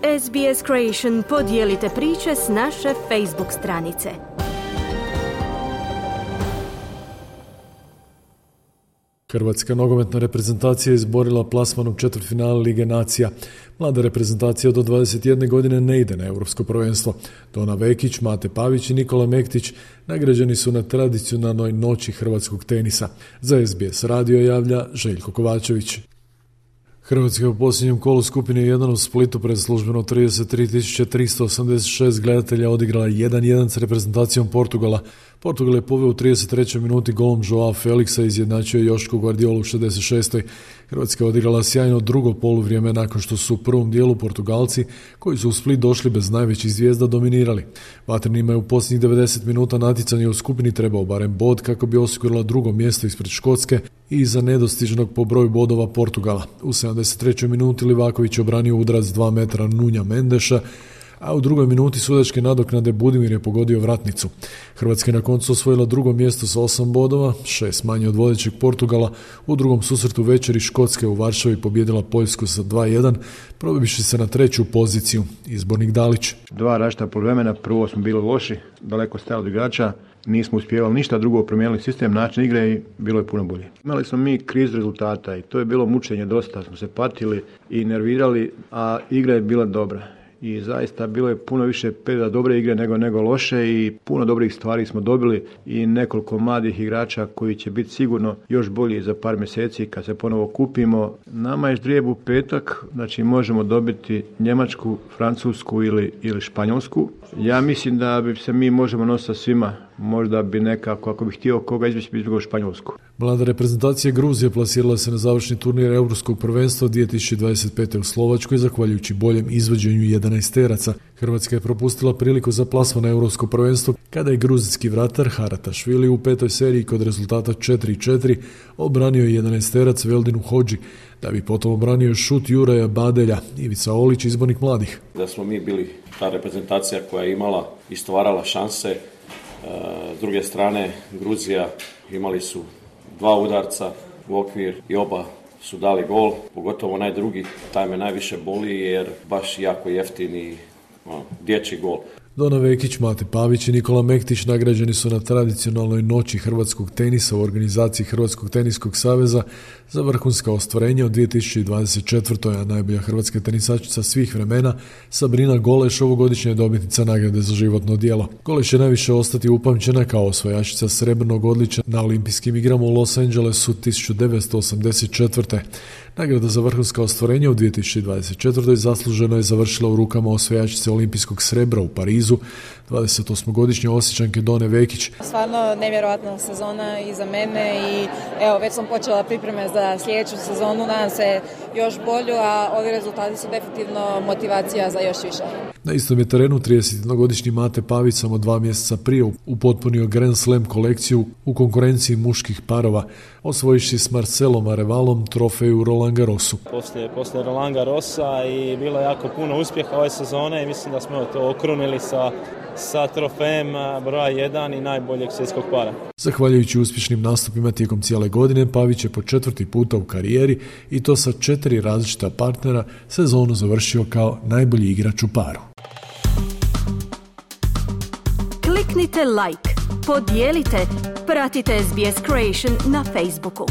SBS Creation, podijelite priče s naše Facebook stranice. Hrvatska nogometna reprezentacija je izborila plasman u četvrtfinale Lige nacija. Mlada reprezentacija do 21 godine ne ide na europsko prvenstvo. Dona Vekić, Mate Pavić i Nikola Mektić nagrađeni su na tradicionalnoj noći hrvatskog tenisa. Za SBS radio javlja Željko Kovačević. Hrvatska je u posljednjem kolu skupine 1 u Splitu pred službeno 33.386 gledatelja odigrala 1-1 s reprezentacijom Portugala. Portugal je poveo u 33. minuti golom Joao Felixa i izjednačio Jošku Guardiolu u 66. Hrvatska je odigrala sjajno drugo poluvrijeme nakon što su u prvom dijelu Portugalci, koji su u Split došli bez najvećih zvijezda, dominirali. Vatrenima je u posljednjih 90 minuta natjecanja u skupini trebao barem bod kako bi osigurala drugo mjesto ispred Škotske i iza nedostižnog po broju bodova Portugala. U 73. minuti Livaković obranio udarac 2 metra Nunja Mendeša, a u drugoj minuti sudačke nadoknade Budimir je pogodio vratnicu. Hrvatska je na koncu osvojila drugo mjesto sa 8 bodova, 6 manje od vodećeg Portugala. U drugom susretu večeri Škotska u Varšavi pobijedila Poljsku sa 2-1, probiviši se na treću poziciju. Izbornik Dalić. Dva različita poluvremena, prvo smo bili loši, daleko stajali od igrača, nismo uspjevali ništa, drugo promijenili sistem, način igre i bilo je puno bolje. Imali smo mi krizu rezultata i to je bilo mučenje dosta, smo se patili i nervirali, a igra je bila dobra. I zaista bilo je puno više perioda dobre igre nego loše i puno dobrih stvari smo dobili i nekoliko mladih igrača koji će biti sigurno još bolji za par mjeseci kad se ponovo kupimo. Nama je ždrijeb u petak, znači možemo dobiti Njemačku, Francusku ili Španjolsku. Ja mislim da bi se mi možemo nositi sa svima. Možda bi nekako, ako bih htio koga izbjeći, bi izbjegao Španjolsku. Mlada reprezentacija Gruzije plasirala se na završni turnir Europskog prvenstva 2025. u Slovačkoj zahvaljujući boljem izvođenju 11-teraca. Hrvatska je propustila priliku za plasman na Europsko prvenstvo kada je gruzijski vratar Haratašvili u petoj seriji kod rezultata 4-4 obranio 11-terac Veldinu Hodži, da bi potom obranio šut Juraja Badelja. Ivica Olić, izbornik mladih. Da smo mi bili ta reprezentacija koja je imala i stvarala šanse. S druge strane, Gruzija imali su 2 udarca u okvir i oba su dali gol, pogotovo onaj drugi, taj me najviše boli jer baš jako jeftini dječji gol. Dona Vekić, Mate Pavić i Nikola Mektić nagrađeni su na tradicionalnoj noći hrvatskog tenisa u organizaciji Hrvatskog teniskog saveza za vrhunska ostvarenja od 2024. a najbolja hrvatska tenisačica svih vremena Sabrina Goleš ovogodišnja je dobitnica nagrade za životno djelo. Goleš će najviše ostati upamćena kao osvajačica srebrnog odličja na olimpijskim igrama u Los Angelesu 1984. Nagrada za vrhunska ostvarenja u 2024. zasluženo je završila u rukama osvajačice olimpijskog srebra u Parizu, 28-godišnje Osječanke Done Vekić. Stvarno nevjerojatna sezona i za mene i evo već sam počela pripreme za sljedeću sezonu, nadam se još bolju, a ovi rezultati su definitivno motivacija za još više. Na istom je terenu 31-godišnji Mate Pavić samo 2 mjeseca prije upotpunio Grand Slam kolekciju u konkurenciji muških parova, osvojiši s Marcelom Arevalom trofeju Roland Garrosu. Poslije Roland Garrosa i bilo jako puno uspjeha ove sezone i mislim da smo to okrunili sa trofejem broja 1 i najboljeg svjetskog para. Zahvaljujući uspješnim nastupima tijekom cijele godine, Pavić je po 4. puta u karijeri i to sa 4 različita partnera sezonu završio kao najbolji igrač u paru. Kliknite like, podijelite, pratite SBS Creation na Facebooku.